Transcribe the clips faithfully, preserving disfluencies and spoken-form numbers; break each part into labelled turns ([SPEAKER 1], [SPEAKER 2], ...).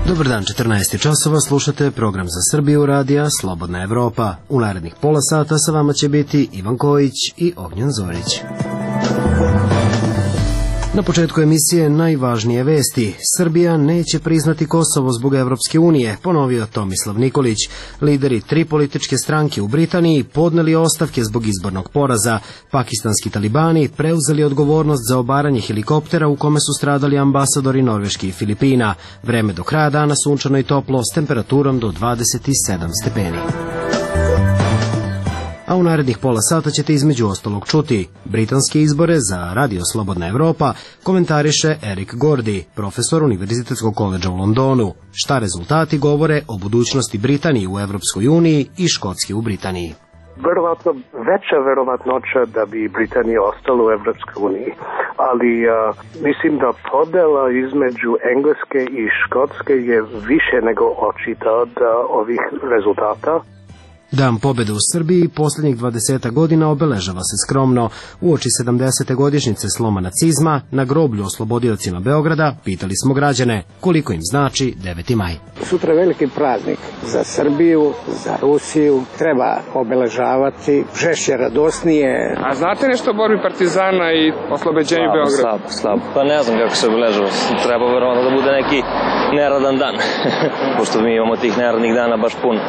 [SPEAKER 1] Dobar dan, četrnaest časova, slušate program za Srbiju radija Slobodna Evropa. U narednih pola sata sa vama će biti Ivan Kojić i Ognjen Zorić. Na početku emisije najvažnije vesti. Srbija neće priznati Kosovo zbog Evropske unije, ponovio Tomislav Nikolić. Lideri tri političke stranke u Britaniji podneli ostavke zbog izbornog poraza. Pakistanski talibani preuzeli odgovornost za obaranje helikoptera u kome su stradali ambasadori Norveške i Filipina. Vreme do kraja dana sunčano i toplo s temperaturom do dvadeset sedam stepeni. A u narednih pola sata ćete između ostalog čuti britanske izbore za Radio Slobodna Evropa, komentariše Eric Gordy, profesor Univerzitetskog koledža u Londonu. Šta rezultati govore o budućnosti Britanije u Evropskoj uniji i Škotske u Britaniji?
[SPEAKER 2] Verovatno veća verovatnoća da bi Britanija ostala u Evropskoj uniji, ali a, mislim da podela između Engleske i Škotske je više nego očita od a, ovih rezultata.
[SPEAKER 1] Dan pobjede u Srbiji posljednjih dvadeset godina obeležava se skromno. Uoči sedamdesete godišnjice sloma nacizma na groblju oslobodiocima Beograda pitali smo građane koliko im znači deveti maj.
[SPEAKER 3] Sutra je veliki praznik za Srbiju, za Rusiju. Treba obeležavati žešće, radosnije.
[SPEAKER 4] A znate nešto o borbi partizana i oslobođenju Beograda?
[SPEAKER 5] Slabo, slabo. Pa ne znam kako se obeležava. Treba verovatno da bude neki neradan dan. Pošto mi imamo tih neradnih dana baš puno.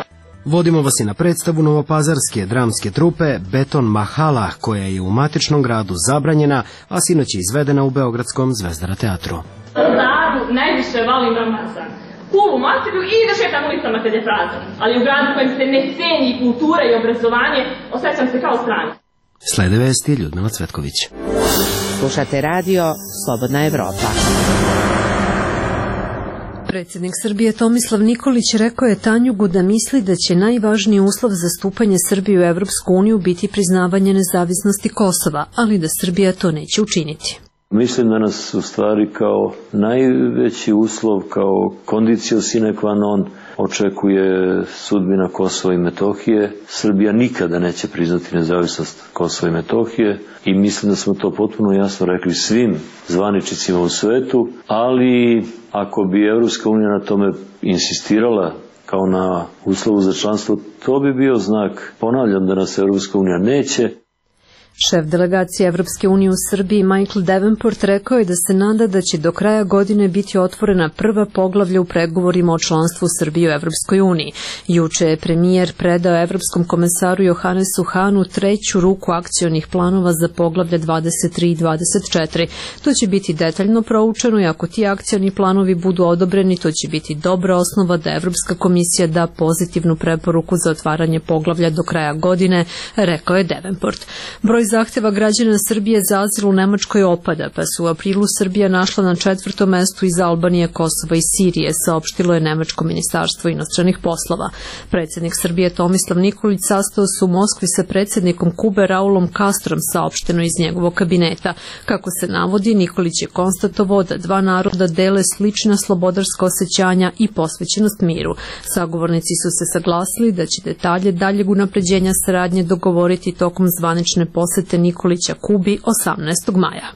[SPEAKER 1] Vodimo vas i na predstavu novopazarske dramske trupe Beton Mahala, koja je u matičnom gradu zabranjena, a sinoć je izvedena u Beogradskom Zvezdara teatru.
[SPEAKER 6] Gradu najviše volim Ramazan. Kulu materiju i da šetam ulicama kad je prazan. Ali u gradu kojem se ne ceni kultura i obrazovanje, osjećam se kao strani.
[SPEAKER 1] Slede vesti Ljudmila Cvetković.
[SPEAKER 7] Slušate radio Slobodna Evropa.
[SPEAKER 8] Predsjednik Srbije Tomislav Nikolić rekao je Tanjugu da misli da će najvažniji uslov za stupanje Srbije u Evropsku uniju biti priznavanje nezavisnosti Kosova, ali da Srbija to neće učiniti.
[SPEAKER 9] Mislim da nas u stvari kao najveći uslov, kao condicio sine qua non očekuje sudbina Kosova i Metohije. Srbija nikada neće priznati nezavisnost Kosova i Metohije i mislim da smo to potpuno jasno rekli svim zvaničnicima u svetu, ali ako bi Evropska unija na tome insistirala kao na uslovu za članstvo, to bi bio znak, ponavljam, da nas Evropska unija neće.
[SPEAKER 8] Šef delegacije Evropske unije u Srbiji Michael Davenport rekao je da se nada da će do kraja godine biti otvorena prva poglavlja u pregovorima o članstvu Srbije u Evropskoj uniji. Juče je premijer predao Evropskom komesaru Johannesu Hahnu treću ruku akcionih planova za poglavlje dvadeset tri i dvadeset četiri. To će biti detaljno proučeno i ako ti akcioni planovi budu odobreni, to će biti dobra osnova da Evropska komisija da pozitivnu preporuku za otvaranje poglavlja do kraja godine, rekao je Davenport. Broj zahteva građana Srbije za azil u Nemačkoj opada, pa su u aprilu Srbija našla na četvrtom mestu iz Albanije, Kosova i Sirije, saopštilo je Nemačko ministarstvo inostranih poslova. Predsjednik Srbije Tomislav Nikolić sastao se u Moskvi sa predsjednikom Kube Raulom Castrom, saopšteno iz njegovog kabineta. Kako se navodi, Nikolić je konstatovao da dva naroda dele slična slobodarska osjećanja i posvećenost miru. Sagovornici su se saglasili da će detalje daljeg unapređenja saradnje dogovoriti tokom zvanične posete Nikolića Kubi osamnaestog maja.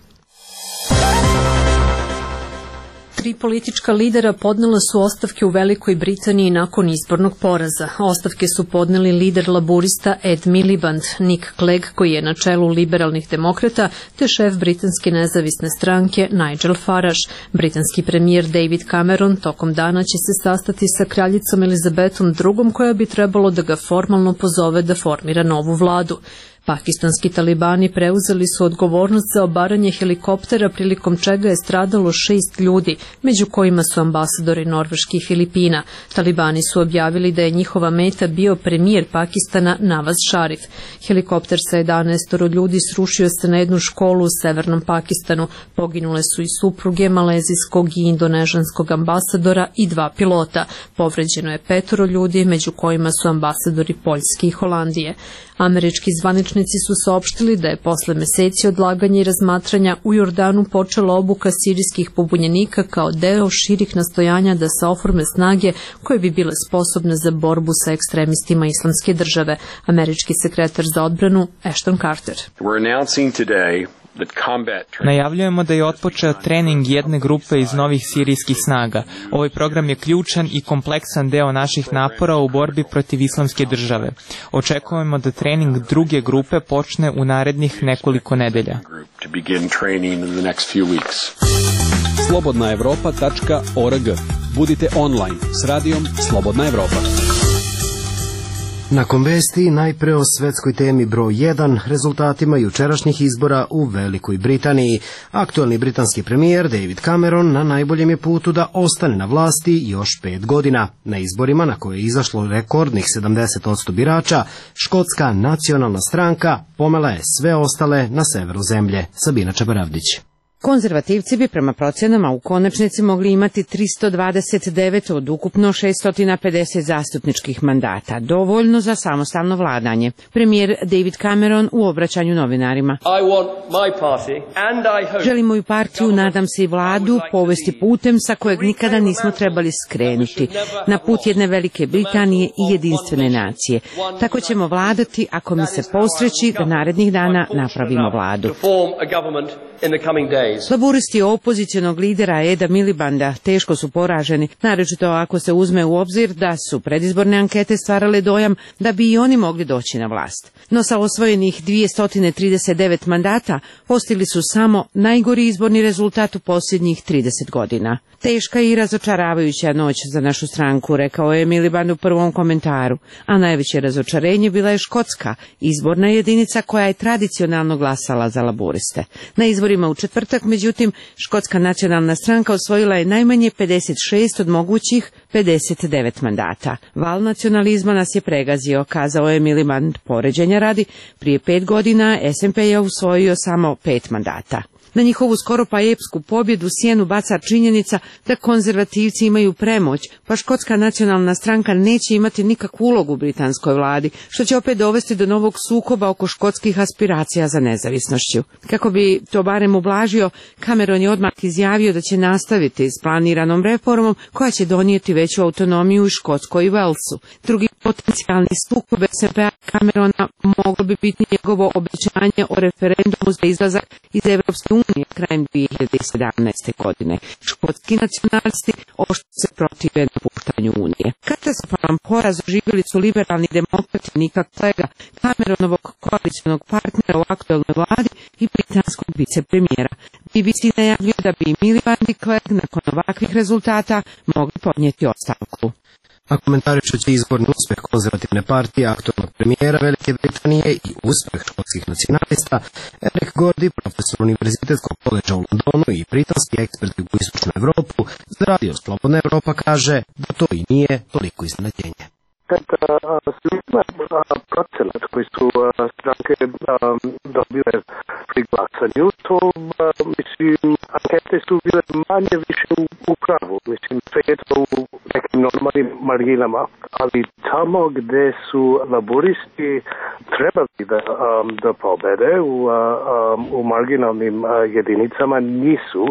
[SPEAKER 8] Tri politička lidera podnela su ostavke u Velikoj Britaniji nakon izbornog poraza. Ostavke su podneli lider laburista Ed Miliband, Nick Clegg koji je na čelu liberalnih demokrata, te šef britanske nezavisne stranke Nigel Farage. Britanski premijer David Cameron tokom dana će se sastati sa kraljicom Elizabetom drugom koja bi trebalo da ga formalno pozove da formira novu vladu. Pakistanski talibani preuzeli su odgovornost za obaranje helikoptera prilikom čega je stradalo šest ljudi, među kojima su ambasadori Norveške i Filipina. Talibani su objavili da je njihova meta bio premijer Pakistana Nawaz Sharif. Helikopter sa jedanaest ljudi srušio se na jednu školu u severnom Pakistanu. Poginule su i supruge malezijskog i indonežanskog ambasadora i dva pilota. Povređeno je petoro ljudi, među kojima su ambasadori Poljske i Holandije. Američki zvaničnici su saopštili da je posle meseci odlaganja i razmatranja u Jordanu počela obuka sirijskih pobunjenika kao deo širih nastojanja da se oforme snage koje bi bile sposobne za borbu sa ekstremistima Islamske države. Američki sekretar za odbranu Ashton Carter.
[SPEAKER 10] We're announcing today Najavljujemo da je otpočeo trening jedne grupe iz novih sirijskih snaga. Ovaj program je ključan i kompleksan deo naših napora u borbi protiv islamske države. Očekujemo da trening druge grupe počne u narednih nekoliko nedelja.
[SPEAKER 11] slobodna evropa tačka org. Budite online s radijom Slobodna Evropa.
[SPEAKER 1] Nakon vesti najpre o svetskoj temi broj jedan, rezultatima jučerašnjih izbora u Velikoj Britaniji. Aktuelni britanski premijer David Cameron na najboljem je putu da ostane na vlasti još pet godina. Na izborima na koje je izašlo rekordnih sedamdeset posto birača, škotska nacionalna stranka pomela je sve ostale na severu zemlje. Sabina Čabaravdić.
[SPEAKER 7] Konzervativci bi prema procenama u konačnici mogli imati tristo dvadeset devet od ukupno šesto pedeset zastupničkih mandata, dovoljno za samostalno vladanje. Premijer David Cameron u obraćanju novinarima. Želim moju partiju, nadam se i vladu, povesti putem sa kojeg nikada nismo trebali skrenuti, na put jedne Velike Britanije i jedinstvene nacije. Tako ćemo vladati ako mi se posreći da narednih dana napravimo vladu. Laburisti opozicionog lidera Eda Milibanda teško su poraženi, naročito ako se uzme u obzir da su predizborne ankete stvarale dojam da bi i oni mogli doći na vlast. No sa osvojenih dvjesto trideset devet mandata postigli su samo najgori izborni rezultat u posljednjih trideset godina. Teška i razočaravajuća noć za našu stranku, rekao je Miliband u prvom komentaru, a najveće razočarenje bila je Škotska, izborna jedinica koja je tradicionalno glasala za laburiste. Na izborima u četvrtak, međutim, Škotska nacionalna stranka osvojila je najmanje pedeset šest od mogućih pedeset devet mandata. Val nacionalizma nas je pregazio, kazao je Miliband. Poređenja radi, prije pet godina S N P je usvojio samo pet mandata. Na njihovu skoro pa epsku pobjedu sjenu baca činjenica da konzervativci imaju premoć, pa Škotska nacionalna stranka neće imati nikakvu ulogu u britanskoj vladi, što će opet dovesti do novog sukoba oko škotskih aspiracija za nezavisnošću. Kako bi to barem ublažio, Cameron je odmah izjavio da će nastaviti s planiranom reformom koja će donijeti veću autonomiju i Škotskoj i Walesu. Drugi potencijalni sukob S N P-a Camerona moglo bi biti njegovo obećanje o referendumu za izlazak iz Evropske unije krajem dvije hiljade sedamnaeste. godine. Škotski nacionalisti oštro se protive napuštanju unije. Katastrofalan poraz doživjeli su liberalni demokrati Nika Clegga, Cameronovog koalicionog partnera u aktuelnoj vladi i britanskog vicepremijera. B B C najavljuje da bi Miliband i Clegg nakon ovakvih rezultata mogli podnijeti ostavku.
[SPEAKER 1] A komentarišući izborni uspjeh konzervativne partije aktualnog premijera Velike Britanije i uspjeh škotskih nacionalista, Eric Gordy, profesor Univerzitetskog koledža u Londonu i britanski ekspert u Istočnu Evropu, za radio Slobodna Evropa kaže da to i nije toliko iznenađenje.
[SPEAKER 2] Procenat koji su stranke dobile pri glasanju, to mislim, ankete su bile manje više u pravu, mislim, sve je to u nekim normalnim marginama, ali tamo gde su laburisti trebali da, da pobede u, u marginalnim jedinicama nisu,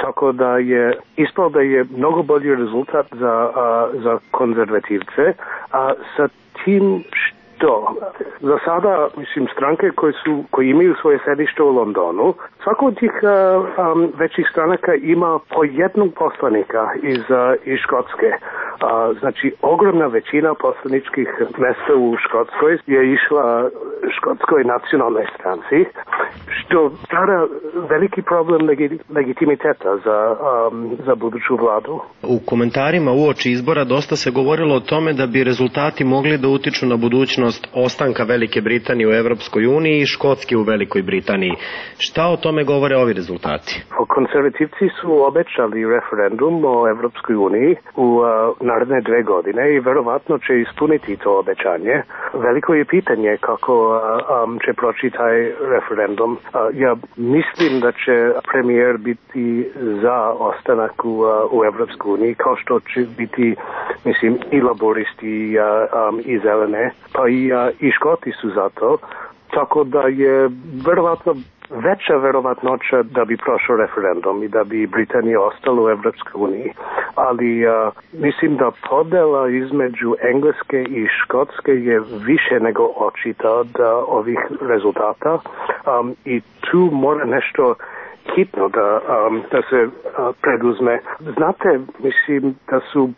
[SPEAKER 2] tako da je ispalo da je mnogo bolji rezultat za, za konzervativce, a sa tim što za sada, mislim, stranke koje su, koji imaju svoje sedište u Londonu, svako od tih uh, um, većih stranaka ima po jednog poslanika iz, uh, iz Škotske. Uh, znači, ogromna većina poslaničkih mjesta u Škotskoj je išla Škotskoj nacionalnoj stranci, što stvara veliki problem legi- legitimiteta za, um, za buduću vladu.
[SPEAKER 12] U komentarima uoči izbora dosta se govorilo o tome da bi rezultati mogli da utiču na budućnost ostanka Velike Britanije u Evropskoj uniji i Škotske u Velikoj Britaniji. Šta o tome govore ovi rezultati?
[SPEAKER 2] Konzervativci su obećali referendum o Evropskoj uniji u uh, naredne dve godine i verovatno će ispuniti to obećanje. Veliko je pitanje kako uh, um, će proći taj referendum. Uh, ja mislim da će premijer biti za ostanak u, uh, u Evropskoj uniji, kao što će biti, mislim, i laboristi uh, um, i zelene, pa i, uh, i Škoti su za to. Tako da je verovatno veća verovatnoća da bi prošao referendum i da bi Britanija ostala u Evropskoj uniji. Ali a, mislim da podela između Engleske i Škotske je više nego očita od a, ovih rezultata um, i tu mora nešto hitno da, um, da se uh, preduzme. Znate, mislim da su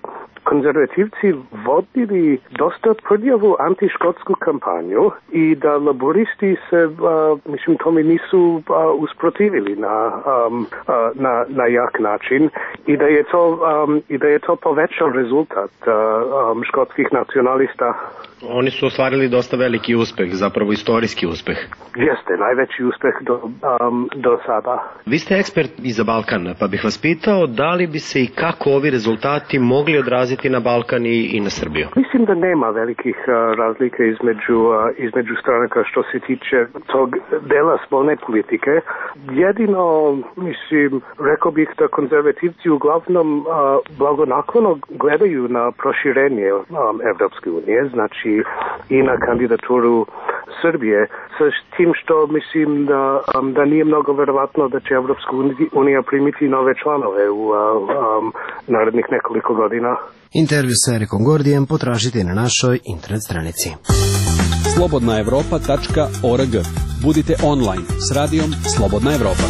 [SPEAKER 2] konzervativci vodili dosta prljavu antiškotsku kampanju i da laboristi se, uh, mislim, tome nisu uh, usprotivili na, um, uh, na, na jak način i da je to, um, i da je to povećao rezultat uh, um, škotskih nacionalista.
[SPEAKER 12] Oni su ostvarili dosta veliki uspeh, zapravo istorijski uspeh.
[SPEAKER 2] Jeste, najveći uspeh do, um, do sada.
[SPEAKER 12] Vi ste ekspert i za Balkan, pa bih vas pitao da li bi se i kako ovi rezultati mogli odraziti na Balkan i, i na Srbiju?
[SPEAKER 2] Mislim da nema velikih uh, razlika između, uh, između stranaka što se tiče tog dela spoljne politike. Jedino, mislim, rekao bih da konzervativci uglavnom uh, blagonaklono gledaju na proširenje um, Evropske unije, znači i na kandidaturu Srbije, sa tim što mislim da, um, da nije mnogo verovatno da će Evropska unija primiti nove članove u uh, um, narednih nekoliko godina.
[SPEAKER 1] Intervju sa Erikom Gordijem potražite na našoj internet stranici.
[SPEAKER 11] slobodna evropa tačka org. Budite online s radijom Slobodna Evropa.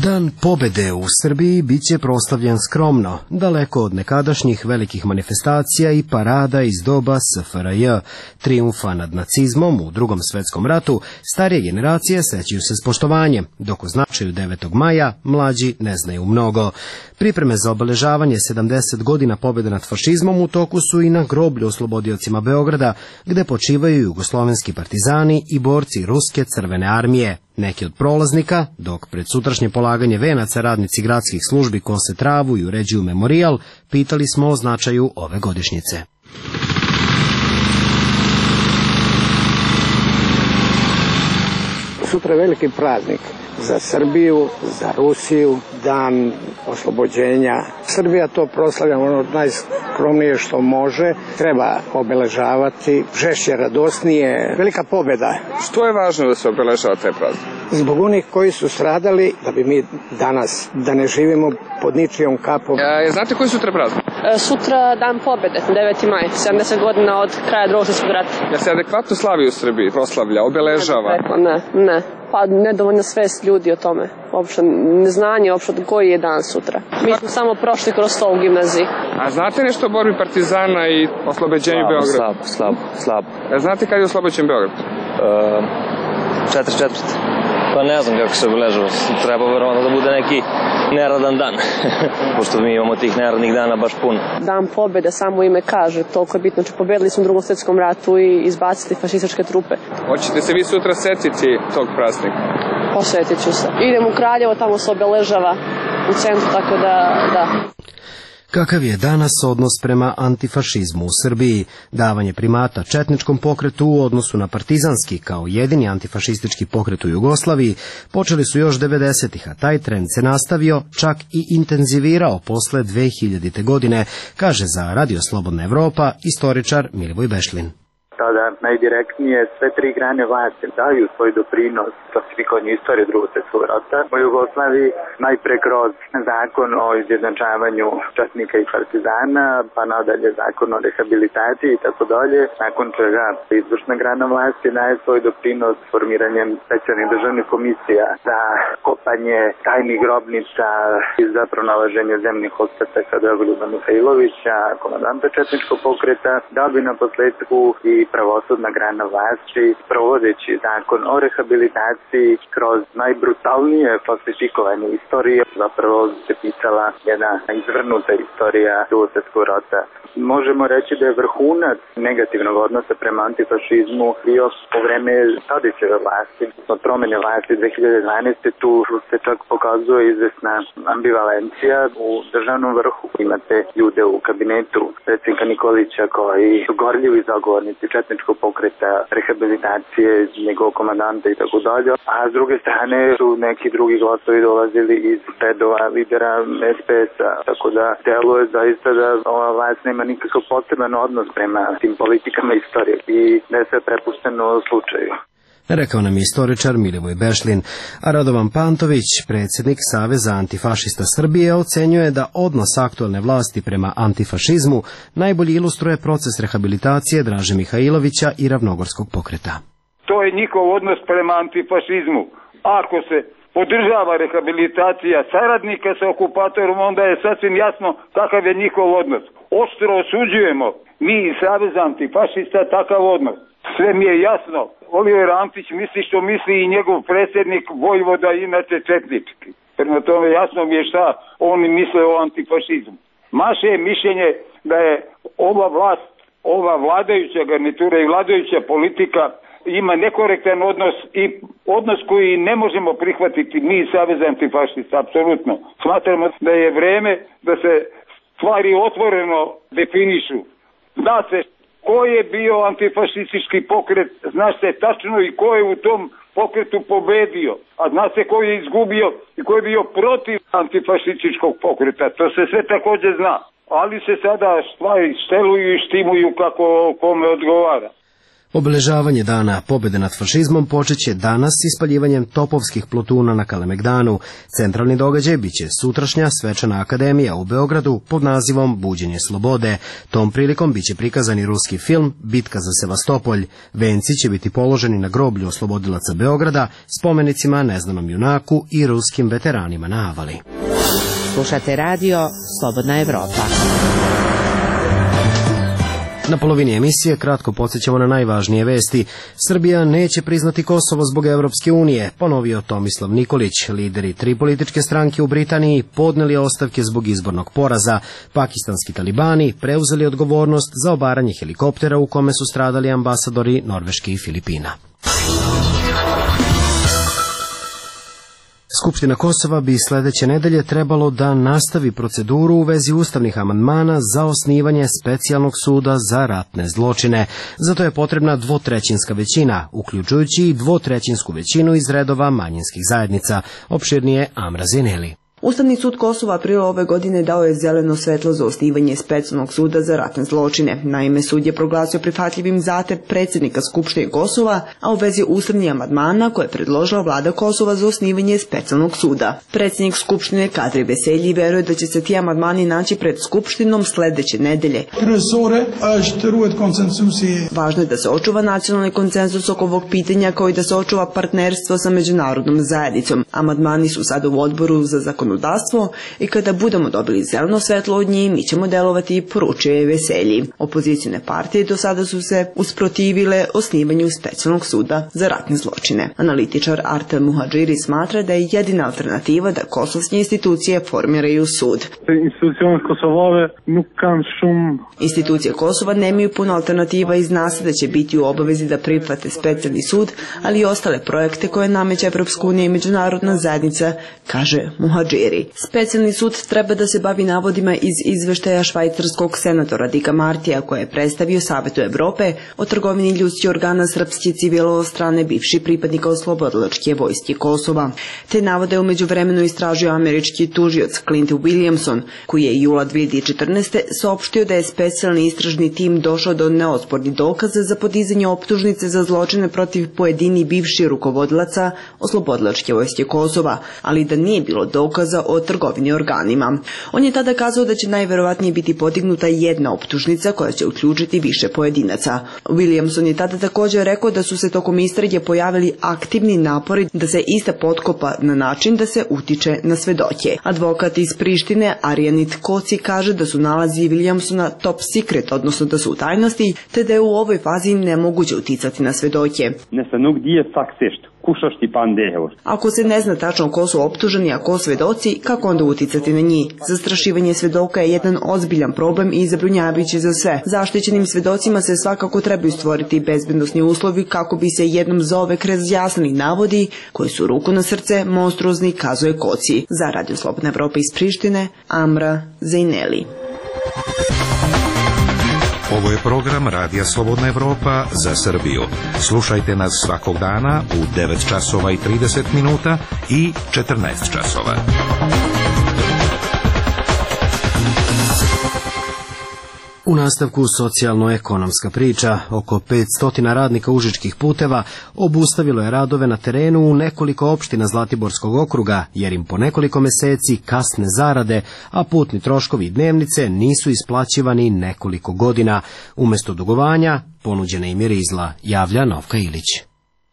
[SPEAKER 1] Dan pobede u Srbiji bit će proslavljen skromno, daleko od nekadašnjih velikih manifestacija i parada iz doba S F R J. Trijumfa nad nacizmom u Drugom svetskom ratu starije generacije sećaju se s poštovanjem, dok o značaju devetog maja mlađi ne znaju mnogo. Pripreme za obeležavanje sedamdeset godina pobjede nad fašizmom u toku su i na groblju oslobodiocima Beograda, gde počivaju jugoslovenski partizani i borci Ruske crvene armije. Neki od prolaznika, dok pred sutrašnje polaganje venaca radnici gradskih službi kose travu i uređuju memorijal, pitali smo o značaju ove godišnjice.
[SPEAKER 3] Sutra je veliki praznik za Srbiju, za Rusiju, dan oslobođenja. Srbija to proslavlja ono najskromnije što može, treba obeležavati, žešće, radosnije, velika pobjeda.
[SPEAKER 4] Što je važno da se obeležava taj praznik?
[SPEAKER 3] Zbog onih koji su stradali, da bi mi danas, da ne živimo pod ničijom kapom.
[SPEAKER 4] E, znate koji sutra praznik?
[SPEAKER 13] E, sutra dan pobjede, deveti maj, sedamdeset godina od kraja Drugog svjetskog rata.
[SPEAKER 4] Ja se adekvatno slavi u Srbiji, proslavlja, obeležava?
[SPEAKER 13] Ne, ne. Pa nedovoljno svest ljudi o tome. Uopšte neznanje uopšte koji je dan sutra. Mi smo samo prošli kroz to u gimnaziji.
[SPEAKER 4] A znate nešto o borbi partizana i oslobođenju Beograda?
[SPEAKER 5] Slabo, slabo, slabo.
[SPEAKER 4] E, znate kad je oslobođen Beograd?
[SPEAKER 5] četrdeset četvrte. Pa ne znam kako se obeležava. Treba verovatno da bude neki neradan dan. Pošto mi imamo tih neradnih dana baš puno.
[SPEAKER 13] Dan pobjede, samo ime kaže, toliko je bitno. Znači, pobedili smo u Drugom svjetskom ratu i izbacili fašističke trupe.
[SPEAKER 4] Hoćete se vi sutra setiti tog praznika?
[SPEAKER 13] Posvetit ću se. Idem u Kraljevo, tamo se obeležava u centru, tako da, da.
[SPEAKER 1] Kakav je danas odnos prema antifašizmu u Srbiji? Davanje primata četničkom pokretu u odnosu na partizanski kao jedini antifašistički pokret u Jugoslaviji počeli su još devedesetih, a taj trend se nastavio, čak i intenzivirao posle dve hiljadite. godine, kaže za Radio Slobodna Evropa istoričar Milivoj Bešlin.
[SPEAKER 14] Tada najdirektnije sve tri grane vlasti daju svoj doprinos klasifikovanju istorije Drugog svjetskog rata u Jugoslaviji, najpre kroz zakon o izjednačavanju četnika i partizana, pa nadalje zakon o rehabilitaciji i tako dalje, nakon čega izvršna grana vlasti daje svoj doprinos formiranjem specijalnih državnih komisija za kopanje tajnih grobnica i za pronalaženje zemnih ostataka Dragoljuba Mihajlovića, komandanta četničkog pokreta, da bi na posledku i pravosudna grana vlasti, provodeći zakon o rehabilitaciji kroz najbrutalnije falsifikovanje istorije, zapravo se pisala jedna izvrnuta istorija Drugog svjetskog rata. Možemo reći da je vrhunac negativnog odnosa prema antifašizmu bio po vreme Tadićeve vlasti. Od promene vlasti dve hiljade dvanaeste. tu se čak pokazuje izvesna ambivalencija u državnom vrhu. Imate ljude u kabinetu predsjednika Nikolića koji su gorljivi zagovornici četničkog pokreta, rehabilitacije, njegovog komandanta i tako dalje. A s druge strane su neki drugi glasovi dolazili iz redova lidera S P S-a. Tako da deluje zaista da ova vlast nema nikakav poseban odnos prema tim politikama istorije i da je sve prepušteno slučaju.
[SPEAKER 1] rekao nam je istoričar Milivoj Bešlin, a Radovan Pantović, predsjednik Saveza antifašista Srbije, ocenjuje da odnos aktualne vlasti prema antifašizmu najbolje ilustruje proces rehabilitacije Draže Mihajlovića i Ravnogorskog pokreta.
[SPEAKER 15] To je njihov odnos prema antifašizmu. Ako se podržava rehabilitacija saradnika sa okupatorom, onda je sasvim jasno kakav je njihov odnos. Oštro osuđujemo mi iz Saveza antifašista takav odnos. Sve mi je jasno. Oliver Antić misli što misli i njegov predsjednik Vojvoda, inače četnički. Prema tome jasno mi je šta oni misle o antifašizmu. Maše je mišljenje da je ova vlast, ova vladajuća garnitura i vladajuća politika ima nekorektan odnos i odnos koji ne možemo prihvatiti mi iz Saveza antifašista, apsolutno. Smatramo da je vreme da se stvari otvoreno definišu. Zna se ko je bio antifašistički pokret, zna se tačno i ko je u tom pokretu pobedio, a zna se ko je izgubio i ko je bio protiv antifašističkog pokreta. To se sve također zna, ali se sada stvari šteluju i štimuju kako kome odgovara.
[SPEAKER 1] Obeležavanje dana pobjede nad fašizmom počet će danas ispaljivanjem topovskih plotuna na Kalemegdanu. Centralni događaj biće sutrašnja svečana akademija u Beogradu pod nazivom Buđenje slobode. Tom prilikom biće prikazan i ruski film Bitka za Sevastopolj. Venci će biti položeni na groblju oslobodilaca Beograda, spomenicima neznanom junaku i ruskim veteranima na Avali.
[SPEAKER 7] Slušate radio Slobodna Evropa.
[SPEAKER 1] Na polovini emisije kratko podsjećamo na najvažnije vesti. Srbija neće priznati Kosovo zbog Evropske unije, ponovio Tomislav Nikolić. Lideri tri političke stranke u Britaniji podneli ostavke zbog izbornog poraza. Pakistanski talibani preuzeli odgovornost za obaranje helikoptera u kome su stradali ambasadori Norveške i Filipina. Skupština Kosova bi sledeće nedelje trebalo da nastavi proceduru u vezi ustavnih amandmana za osnivanje specijalnog suda za ratne zločine. Zato je potrebna dvotrećinska većina, uključujući i dvotrećinsku većinu iz redova manjinskih zajednica. Opširnije Amra Zineli.
[SPEAKER 16] Ustavni sud Kosova aprila ove godine dao je zeleno svetlo za osnivanje specijalnog suda za ratne zločine. Naime, sud je proglasio prihvatljivim zahtev predsjednika Skupštine Kosova, a u vezi ustavnih amandmana koje je predložila vlada Kosova za osnivanje specijalnog suda. Predsjednik Skupštine Kadri Veselji veruje da će se ti amandmani naći pred Skupštinom sledeće nedelje. Važno je da se očuva nacionalni konsenzus oko ovog pitanja, kao i da se očuva partnerstvo sa međunarodnom zajednicom. Amandmani su sada u odboru za zakonodavstvo i kada budemo dobili zeleno svetlo od njih, mi ćemo delovati, poručio je Veselji. Opozicijne partije do sada su se usprotivile osnivanju specijalnog suda za ratne zločine. Analitičar Artem Muhadžiri smatra da je jedina alternativa da kosovske institucije formiraju sud. Institucije Kosova nemaju puno alternativa i zna se da će biti u obavezi da prihvate specijalni sud, ali i ostale projekte koje nameće Evropska unija i međunarodna zajednica, kaže Muhadžiri. Specijalni sud treba da se bavi navodima iz izveštaja švajcarskog senatora Dika Martija, koje je predstavio Savetu Evrope o trgovini ljudskih organa srpske civila od strane bivših pripadnika oslobodilačke vojske Kosova. Te navode umeđu vremenu istražio američki tužioc Clint Williamson, koji je jula dve hiljade četrnaeste. saopštio da je specijalni istražni tim došao do neospornih dokaza za podizanje optužnice za zločine protiv pojedini bivših rukovodilaca oslobodilačke vojske Kosova, ali da nije bilo dokaza o trgovini organima. On je tada kazao da će najverovatnije biti podignuta jedna optužnica koja će uključiti više pojedinaca. Williamson je tada također rekao da su se tokom istrage pojavili aktivni napori da se ista potkopa na način da se utiče na svedoke. Advokat iz Prištine Arjanit Koci kaže da su nalazi Williamsona top secret, odnosno da su u tajnosti, te da je u ovoj fazi nemoguće uticati na svedoke. Ako se ne zna tačno ko su optuženi, a ko svedoci, kako onda uticati na njih? Zastrašivanje svedoka je jedan ozbiljan problem i zabrinjavajući za sve. Zaštićenim svedocima se svakako trebaju stvoriti bezbednosni uslovi kako bi se jednom zauvek razjasnili navodi koji su, ruku na srce, monstruozni, kazuje Koci. Za Radio Slobodna Evropa iz Prištine, Amra Zejneli.
[SPEAKER 17] Ovo je program Radija Slobodna Evropa za Srbiju. Slušajte nas svakog dana u devet časova i trideset minuta i četrnaest časova.
[SPEAKER 1] U nastavku socijalno-ekonomska priča. Oko petsto radnika Užičkih puteva obustavilo je radove na terenu u nekoliko opština Zlatiborskog okruga, jer im po nekoliko meseci kasne zarade, a putni troškovi i dnevnice nisu isplaćivani nekoliko godina. Umesto dugovanja, ponuđena im je rizla, javlja Novka Ilić.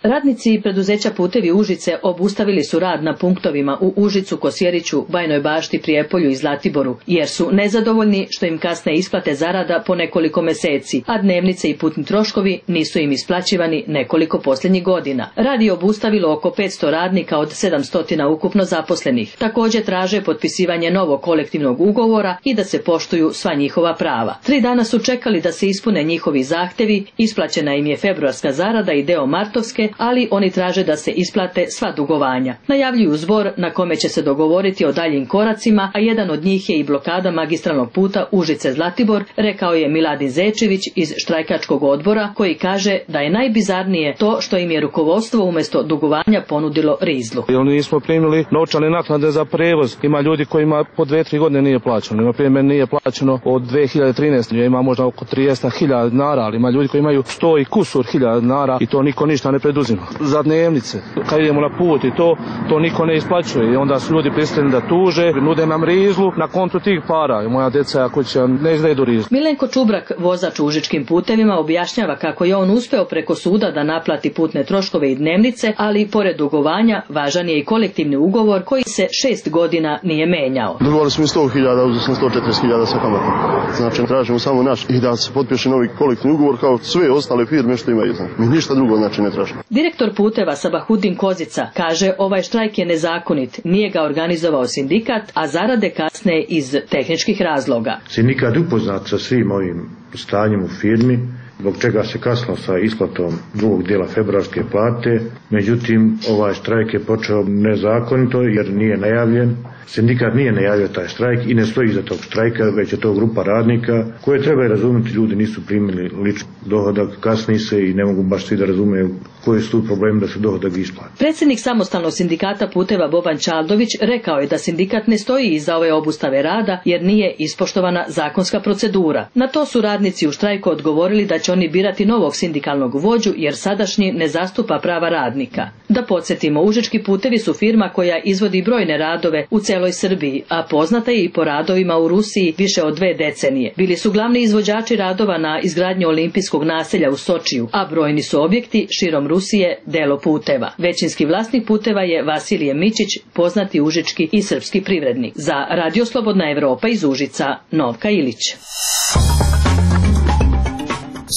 [SPEAKER 18] Radnici preduzeća Putevi Užice obustavili su rad na punktovima u Užicu, Kosjeriću, Bajnoj Bašti, Prijepolju i Zlatiboru, jer su nezadovoljni što im kasne isplate zarada po nekoliko meseci, a dnevnice i putni troškovi nisu im isplaćivani nekoliko posljednjih godina. Rad je obustavilo oko petsto radnika od sedamsto ukupno zaposlenih. Također traže potpisivanje novog kolektivnog ugovora i da se poštuju sva njihova prava. Tri dana su čekali da se ispune njihovi zahtevi, isplaćena im je februarska zarada i deo martovske, ali oni traže da se isplate sva dugovanja. Najavljuju zbor na kome će se dogovoriti o daljim koracima, a jedan od njih je i blokada magistralnog puta Užice-Zlatibor, rekao je Miladin Zečević iz štrajkačkog odbora, koji kaže da je najbizarnije to što im je rukovodstvo umjesto dugovanja ponudilo rizlu.
[SPEAKER 19] Oni nismo primili novčane naknade za prevoz. Ima ljudi kojima po dve, tri godine nije plaćeno. Na primjer, nije plaćeno od dve hiljade trinaeste. Ima možda oko trideset hiljada dinara, ali ima ljudi koji imaju sto i kusur hiljada dinara i to niko ništa ne preduzima. Za dnevnice, kad idemo na put i to, to niko ne isplaćuje i onda su ljudi prisiljeni da tuže, nude nam rizlu na kontu tih para i moja djeca ako će ne izvedu rizlu.
[SPEAKER 18] Milenko Čubrak, vozač u Užičkim putevima, objašnjava kako je on uspeo preko suda da naplati putne troškove i dnevnice, ali pored dugovanja važan je i kolektivni ugovor koji se šest godina nije menjao.
[SPEAKER 20] Dugovali smo i sto hiljada, uzeli smo sto četrdeset hiljada sa kamatom. Znači tražimo samo naš i da se potpiše novi kolektivni ugovor kao sve ostale firme što imaju. Mi ništa drugo znači ne tražimo.
[SPEAKER 18] Direktor puteva Sabahudin Kozica kaže ovaj štrajk je nezakonit, nije ga organizovao sindikat, a zarade kasne iz tehničkih razloga.
[SPEAKER 21] Sindikat upoznat sa svim ovim stanjem u firmi, zbog čega se kasno sa isplatom drugog dijela februarske plate, međutim ovaj štrajk je počeo nezakonito jer nije najavljen. Sindikat nije najavio taj štrajk i ne stoji iza tog štrajka, već je to grupa radnika koje treba razumjeti, ljudi nisu primili lični dohodak, kasni se i ne mogu baš svi da razumeju koji su tu problemi da se dohodak isplati.
[SPEAKER 18] Predsjednik samostalnog sindikata Puteva Boban Čaldović rekao je da sindikat ne stoji iza ove obustave rada jer nije ispoštovana zakonska procedura. Na to su radnici u štrajku odgovorili da će oni birati novog sindikalnog vođu jer sadašnji ne zastupa prava radnika. Da podsjetimo, Užički putevi su firma koja izvodi brojne radove u celoj Srbiji, a poznata je i po radovima u Rusiji više od dve decenije. Bili su glavni izvođači radova na izgradnji olimpijskog naselja u Sočiju, a brojni su objekti širom Rusije delo puteva. Većinski vlasnik puteva je Vasilije Mičić, poznati užički i srpski privrednik. Za Radio Slobodna Evropa iz Užica, Novka Ilić.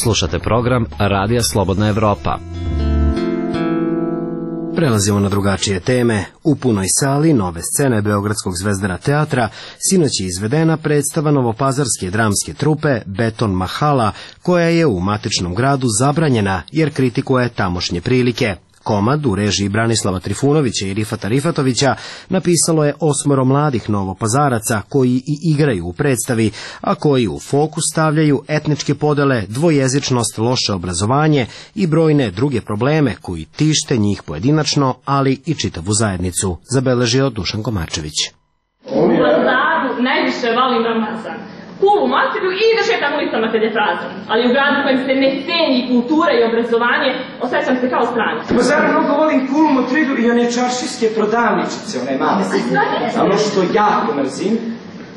[SPEAKER 22] Slušate program Radija Slobodna Evropa.
[SPEAKER 1] Prelazimo na drugačije teme. U punoj sali nove scene Beogradskog Zvezdara teatra sinoć je izvedena predstava novopazarske dramske trupe Beton Mahala, koja je u matičnom gradu zabranjena jer kritikuje tamošnje prilike. Komad u režiji Branislava Trifunovića i Rifata Rifatovića napisalo je osmoro mladih novopazaraca koji i igraju u predstavi, a koji u fokus stavljaju etničke podele, dvojezičnost, loše obrazovanje i brojne druge probleme koji tište njih pojedinačno, ali i čitavu zajednicu, zabeležio Dušan Komarčević.
[SPEAKER 6] U Pazaru najviše volim Ramazan. Kulu materiju i da šetam ulicama kad je prazan. Ali u gradu kojem se ne ceni kultura i obrazovanje, osjećam se kao stranac.
[SPEAKER 23] U Pazaru mnogo volim Kulu Motridu i one čaršijske prodavničice, one male. A ono što jako mrzim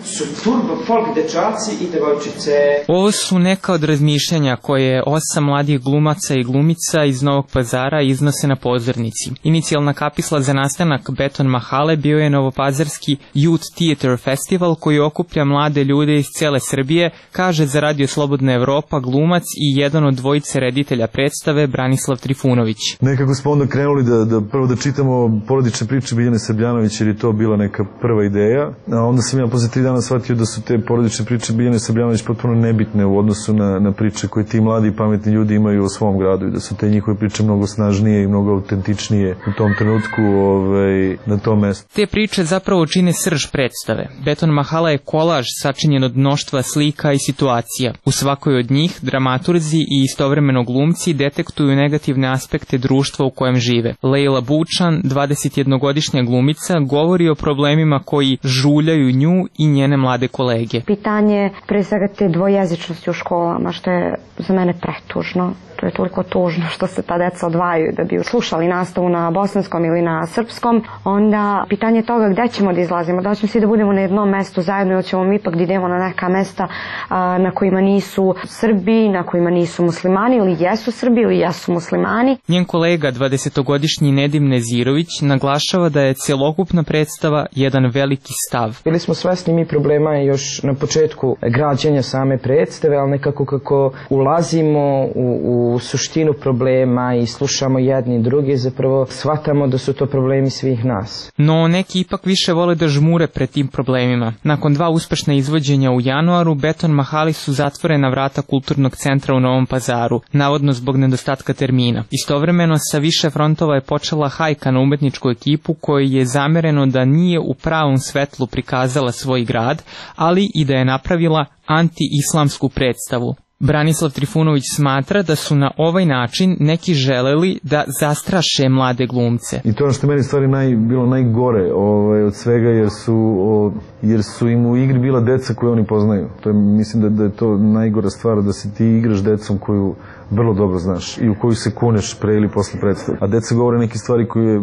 [SPEAKER 23] su turbo folk dečaci i devojčice.
[SPEAKER 10] Ovo su neka od razmišljanja koje osam mladih glumaca i glumica iz Novog Pazara iznose na pozornici. Inicijalna kapisla za nastanak Beton Mahale bio je Novopazarski Youth Theater Festival koji okuplja mlade ljude iz cele Srbije, kaže za Radio Slobodna Evropa glumac i jedan od dvojice reditelja predstave Branislav Trifunović.
[SPEAKER 24] Nekako smo onda krenuli da, da prvo da čitamo porodične priče Biljane Srbljanović jer je to bila neka prva ideja, a onda sam ja posle tri dana shvatio da su te porodične priče Biljane Srbljanović potpuno nebitne u odnosu na, na priče koje ti mladi i pametni ljudi imaju o svom gradu i da su te njihove priče mnogo snažnije i mnogo autentičnije u tom trenutku ovaj, na tom mestu.
[SPEAKER 10] Te priče zapravo čine srž predstave. Beton Mahala je kolaž sačinjen od mnoštva slika i situacija. U svakoj od njih dramaturzi i istovremeno glumci detektuju negativne aspekte društva u kojem žive. Lejla Bučan, dvadesetjednogodišnja glumica, govori o problemima koji žuljaju nju i njene mlade kolege.
[SPEAKER 2] Pitanje pre svega te dvojezičnosti u školama, što je za mene pretužno. To je toliko tužno što se ta deca odvajaju da bi slušali nastavu na bosanskom ili na srpskom. Onda pitanje toga gde ćemo da izlazimo, da ćemo svi da budemo na jednom mestu zajedno ili ćemo mi ipak da idemo na neka mesta a, na kojima nisu Srbi, na kojima nisu muslimani ili jesu Srbi ili jesu muslimani.
[SPEAKER 10] Njen kolega, dvadesetogodišnji Nedim Nezirović, naglašava da je celokupna predstava jedan veliki stav.
[SPEAKER 23] Bili smo svesni mi problema još na početku građenja same predstave, ali nekako kako ulazimo u, u u suštinu problema i slušamo jedni i drugi, zapravo shvatamo da su to problemi svih nas.
[SPEAKER 10] No neki ipak više vole da žmure pred tim problemima. Nakon dva uspešna izvođenja u januaru, Beton Mahali su zatvorena vrata kulturnog centra u Novom Pazaru, navodno zbog nedostatka termina. Istovremeno sa više frontova je počela hajka na umetničku ekipu kojoj je zamereno da nije u pravom svetlu prikazala svoj grad, ali i da je napravila anti-islamsku predstavu. Branislav Trifunović smatra da su na ovaj način neki želeli da zastraše mlade glumce.
[SPEAKER 24] I to ono što meni stvari naj, bilo najgore ovaj, od svega jer su, o, jer su im u igri bila deca koju oni poznaju. To je, mislim da, da je to najgora stvar, da se ti igraš decom koju vrlo dobro znaš i u koju se kuneš pre ili posle predstave. A deca govore neke stvari koje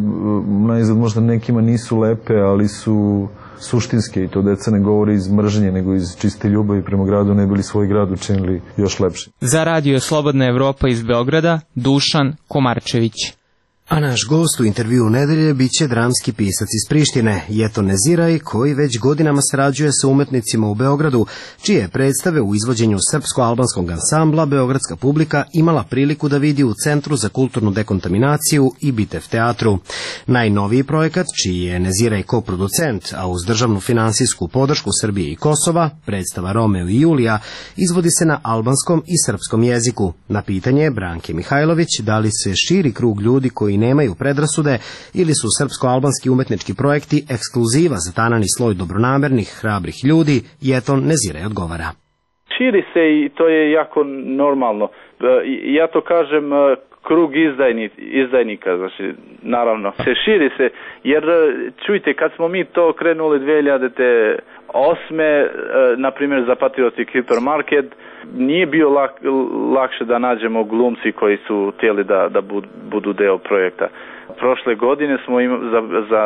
[SPEAKER 24] najzad možda nekima nisu lepe, ali su suštinske i to deca ne govori iz mržnje, nego iz čiste ljubavi prema gradu, ne bili svoj grad učinili još lepše.
[SPEAKER 10] Za radio Slobodna Evropa iz Beograda, Dušan Komarčević.
[SPEAKER 1] A naš gost u intervju nedelje biće dramski pisac iz Prištine, Jeton Neziraj, koji već godinama sarađuje sa umetnicima u Beogradu, čije predstave u izvođenju srpsko-albanskog ansambla beogradska publika imala priliku da vidi u Centru za kulturnu dekontaminaciju i Bitev teatru. Najnoviji projekat, čiji je Neziraj koproducent, a uz državnu finansijsku podršku Srbije i Kosova, predstava Romeo i Julija, izvodi se na albanskom i srpskom jeziku. Na pitanje Branke Mihajlović da li se širi krug ljudi koji nemaju predrasude ili su srpsko-albanski umetnički projekti ekskluziva za tanani sloj dobronamernih, hrabrih ljudi, Jeton Neziraj odgovara.
[SPEAKER 8] Širi se i to je jako normalno. Ja to kažem krug izdajni, izdajnika, znači naravno se širi se, jer čujte, kad smo mi to krenuli dve hiljade osme, na primjer za Patriotic Hypermarket, nije bio lak, lakše da nađemo glumci koji su htjeli da, da budu deo projekta. Prošle godine smo im, za, za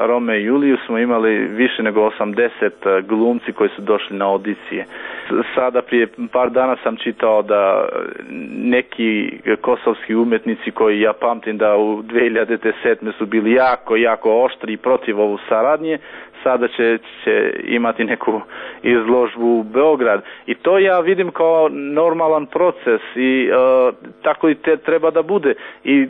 [SPEAKER 8] Rome i Juliju smo imali više nego osamdeset glumci koji su došli na audicije. Sada prije par dana sam čitao da neki kosovski umetnici koji ja pamtim da u dve hiljade sedme su bili jako, jako oštri i protiv ovu saradnje, sada će, će imati neku izložbu u Beograd. I to ja vidim kao normalan proces i uh, tako i te treba da bude. I uh,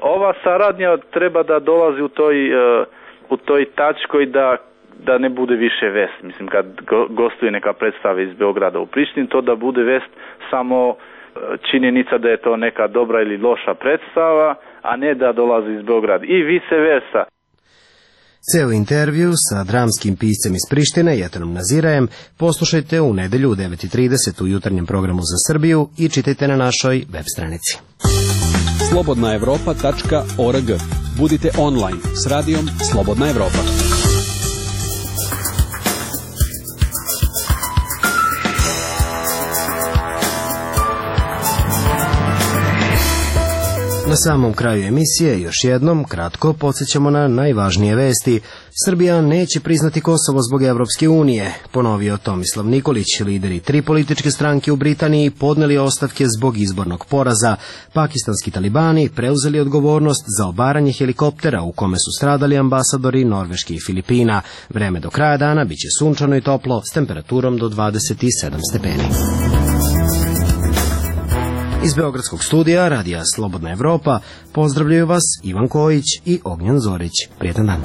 [SPEAKER 8] ova saradnja treba da dolazi u toj, uh, u toj tačkoj da da ne bude više vest. Mislim, kad go, gostuje neka predstava iz Beograda u Prištini, to da bude vest samo uh, činjenica da je to neka dobra ili loša predstava, a ne da dolazi iz Beograda. I vice versa.
[SPEAKER 1] Ceo intervju sa dramskim piscem iz Prištine, Jetonom Nezirajem, poslušajte u nedelju u devet i trideset u jutarnjem programu za Srbiju i čitajte na našoj web stranici.
[SPEAKER 11] slobodna evropa tačka org. Budite online s radijom Slobodna Evropa.
[SPEAKER 1] Na samom kraju emisije još jednom kratko podsjećamo na najvažnije vesti. Srbija neće priznati Kosovo zbog Evropske unije, ponovio Tomislav Nikolić. Lideri tri političke stranke u Britaniji podneli ostavke zbog izbornog poraza. Pakistanski talibani preuzeli odgovornost za obaranje helikoptera u kome su stradali ambasadori Norveške i Filipina. Vreme do kraja dana biće sunčano i toplo s temperaturom do dvadeset sedam stepeni. Iz Beogradskog studija radija Slobodna Evropa pozdravljaju vas Ivan Kojić i Ognjan Zorić. Prijetan dan.